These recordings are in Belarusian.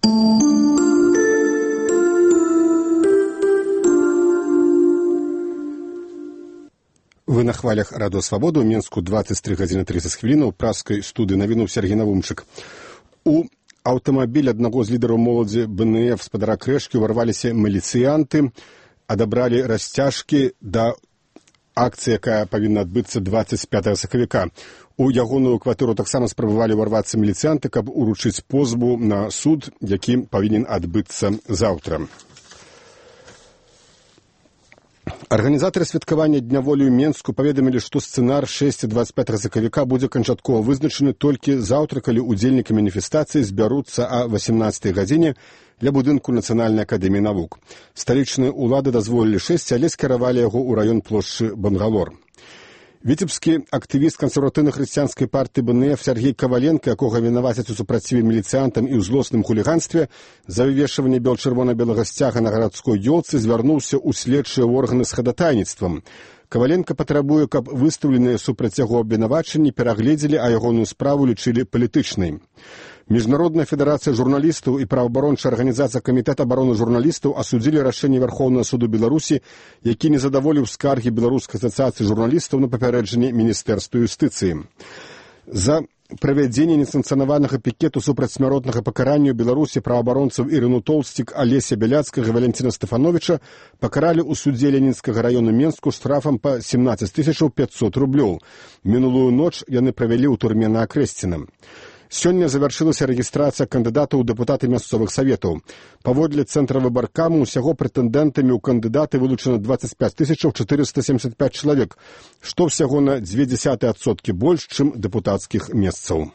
Вы на хвалях Радио Свобода, у Менску 23 гадзіны 30 хвілінаў, праскай студыі навіну Сергей Навумчык. У аўтамабіль аднаго з лідараў моладзі БНФ спадара Крэшкі ўварваліся міліцыянты, адабралі расцяжкі да акцыі, якая павінна адбыцца 25 сакавіка. У ягоную кватэру таксама спрабавалі ўварвацца міліцыянты, каб уручыць позву на суд, які павінен адбыцца заўтра. Арганізатары святкавання Дня волі ў Менску паведамілі, што сцэнар 6-25 сакавіка будзе канчаткова вызначаны толькі заўтра, калі ўдзельнікі маніфестацыі збяруцца о 18 гадзіне для будынку Нацыянальнай акадэміі навук. Сталічныя ўлады дазволілі 6, але скіравалі яго ў раён плошчы Бангалор. Віцебскі актывіст кансерватыўна-хрысціянскай партыі БНФ Сергей Коваленко, якога вінавацяць у супраціве міліцыянтам і ў злосным хуліганстве за вывешванне чырвона-белага сцяга на гарадской ёлцы, звярнуўся ў следчыя органы з хадатайніцтвам. Коваленко патрабуе, каб выстаўленыя супраць яго абвінавачанні перагледзелі, а ягоную справу лічылі палітычнай. Міжнародная федэрацыя журналістаў і праваабарончая арганізацыя Камітэт абароны журналістаў асудзілі рашэнне Вярхоўнага суду Беларусі, які не задаволіў скаргі Беларускай асацыяцыі журналістаў на папярэджанне Міністэрства юстыцыі. За правядзенне несанкцыянаванага пікету супраць смяротнага пакарання ў Беларусі праваабаронцаў Ірыну Толстік, Алеся Бяляцкага і Валянціна Стефановича пакаралі ў судзе Ленінскага раёну Менску штрафам па 17 500 рублёў. Мінулую ноч яны правялі ў турме на Акрэсціна. Сёння завяршылася рэгістрацыя кандыдатаў у дэпутаты мясцовых саветаў. Паводле цэнтра выбаркаму ўсяго прэтэндэнтамі ў кандыдаты вылучана 25 475 чалавек, што ўсяго на 0,2% больш, чым дэпутацкіх месцаў.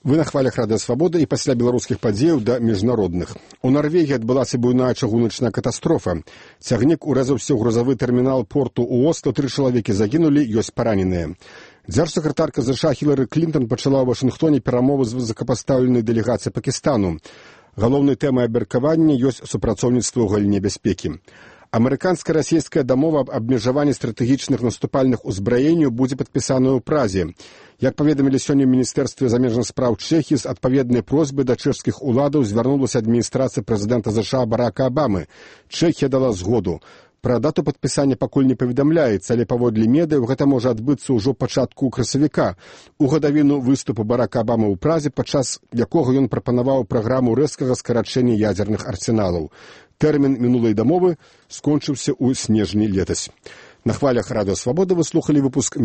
Вы на хвалях Радыё Свабода і пасля беларускіх падзеяў да міжнародных. У Нарвегіі адбылася буйная чыгуначная катастрофа. Цягнік урэзаўся ў грузавы тэрмінал порту ў Осло, 3 чалавекі загінулі, ёсць параненыя. Дзяржсакратарка США Хілары Клінтон пачала ў Вашынгтоне перамовы з высокапастаўленай дэлегацыяй Пакістану. Галоўнай тэмай абмеркавання ёсць супрацоўніцтва ў галіне бяспекі. Амерыканска-расійская дамова аб абмежаванні стратэгічных наступальных узбраенняў будзе падпісаная ў Празе. Як паведамілі сёння ў Міністэрстве замежных спраў Чэхіі, з адпаведнай просьбай да чэшскіх уладаў звярнулася адміністрацыя прэзідэнта США Барака Абамы. Чэхія дала згоду. Пра дату падпісання пакуль не паведамляецца, але паводле медыяў гэта можа адбыцца ўжо пачатку красавіка, у гадавіну выступу Барака Абамы ў Празе, падчас якога ён прапанаваў праграму рэзкага скарачэння ядзерных арсеналаў. Тэрмін мінулай дамовы скончыўся ў снежні летась. На хвалях Радыё Свабода вы слухалі выпуск